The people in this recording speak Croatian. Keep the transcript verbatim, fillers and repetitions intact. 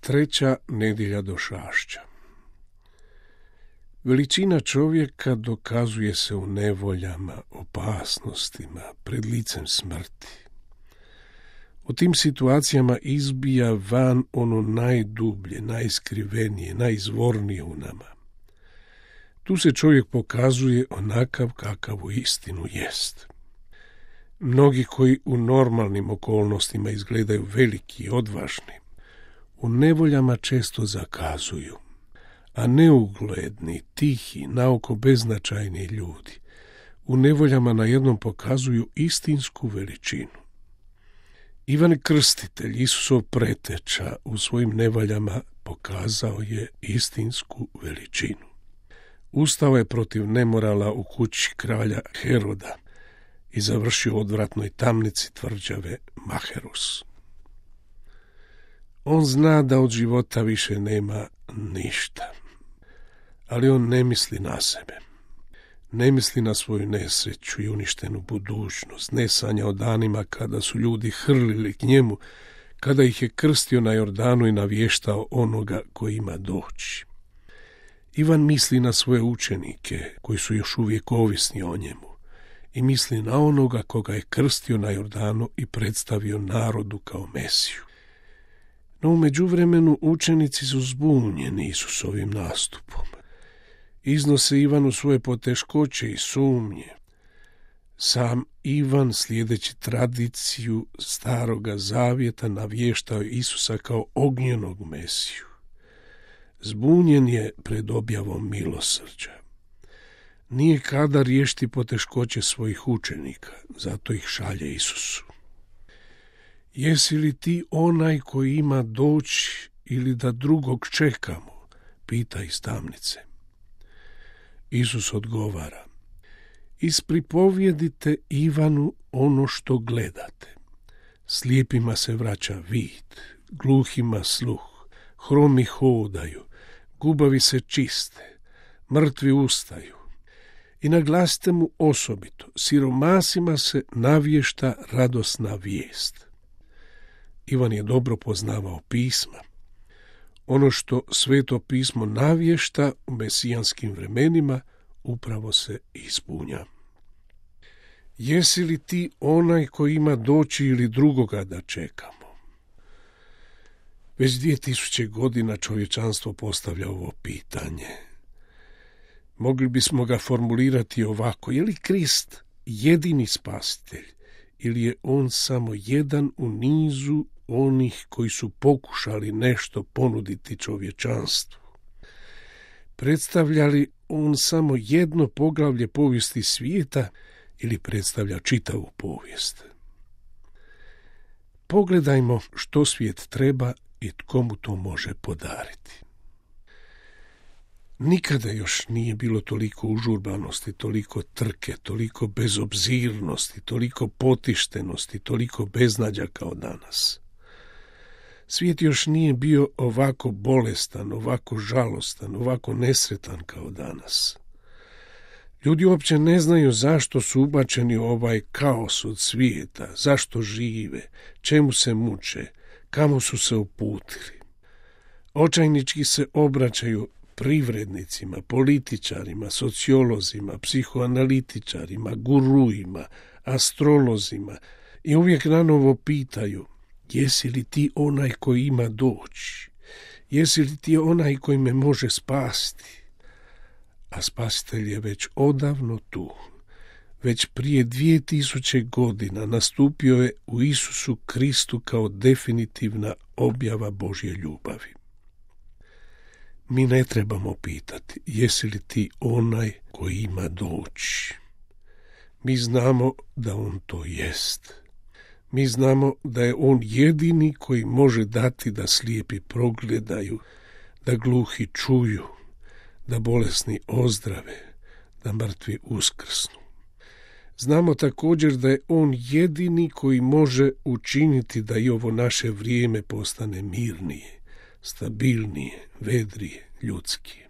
Treća nedjelja došašća. Veličina čovjeka dokazuje se u nevoljama, opasnostima, pred licem smrti. U tim situacijama izbija van ono najdublje, najskrivenije, najizvornije u nama. Tu se čovjek pokazuje onakav kakav u istinu jest. Mnogi koji u normalnim okolnostima izgledaju veliki i odvažni, u nevoljama često zakazuju, a neugledni, tihi, naoko beznačajni ljudi u nevoljama najednom pokazuju istinsku veličinu. Ivan Krstitelj, Isusov preteča, u svojim nevoljama pokazao je istinsku veličinu. Ustao je protiv nemorala u kući kralja Heroda i završio u odvratnoj tamnici tvrđave Maherus. On zna da od života više nema ništa, ali on ne misli na sebe. Ne misli na svoju nesreću i uništenu budućnost, ne sanja o danima kada su ljudi hrlili k njemu, kada ih je krstio na Jordanu i navještao onoga koji ima doći. Ivan misli na svoje učenike koji su još uvijek ovisni o njemu i misli na onoga koga je krstio na Jordanu i predstavio narodu kao Mesiju. No u međuvremenu učenici su zbunjeni Isusovim nastupom. Iznose Ivanu svoje poteškoće i sumnje. Sam Ivan, slijedeći tradiciju Staroga Zavjeta, navještao Isusa kao ognjenog Mesiju. Zbunjen je pred objavom milosrđa. Nije kada riješiti poteškoće svojih učenika, zato ih šalje Isusu. Jesi li ti onaj koji ima doći ili da drugog čekamo? Pita iz tamnice. Isus odgovara: ispripovjedite Ivanu ono što gledate. Slijepima se vraća vid, gluhima sluh, hromi hodaju, gubavi se čiste, mrtvi ustaju. I naglasite mu osobito, siromasima se navješta radosna vijest. Ivan je dobro poznavao pisma. Ono što Sveto pismo navješta u mesijanskim vremenima upravo se ispunja. Jesi li ti onaj koji ima doći ili drugoga da čekamo? Već dvije tisuće godina čovječanstvo postavlja ovo pitanje. Mogli bismo ga formulirati ovako: je li Krist jedini spasitelj ili je on samo jedan u nizu onih koji su pokušali nešto ponuditi čovječanstvu? Predstavlja li on samo jedno poglavlje povijesti svijeta ili predstavlja čitavu povijest? Pogledajmo što svijet treba i tko mu to može podariti. Nikada još nije bilo toliko užurbanosti, toliko trke, toliko bezobzirnosti, toliko potištenosti, toliko beznađa kao danas. Svijet još nije bio ovako bolestan, ovako žalostan, ovako nesretan kao danas. Ljudi uopće ne znaju zašto su ubačeni u ovaj kaos od svijeta, zašto žive, čemu se muče, kamo su se uputili. Očajnički se obraćaju privrednicima, političarima, sociolozima, psihoanalitičarima, guruima, astrolozima i uvijek nanovo pitaju: jesi li ti onaj koji ima doći? Jesi li ti onaj koji me može spasiti? A spasitelj je već odavno tu. Već prije dvije tisuće godina nastupio je u Isusu Kristu kao definitivna objava Božje ljubavi. Mi ne trebamo pitati: jesi li ti onaj koji ima doći? Mi znamo da on to jest. Mi znamo da je on jedini koji može dati da slijepi progledaju, da gluhi čuju, da bolesni ozdrave, da mrtvi uskrsnu. Znamo također da je on jedini koji može učiniti da i ovo naše vrijeme postane mirnije, stabilnije, vedrije, ljudskije.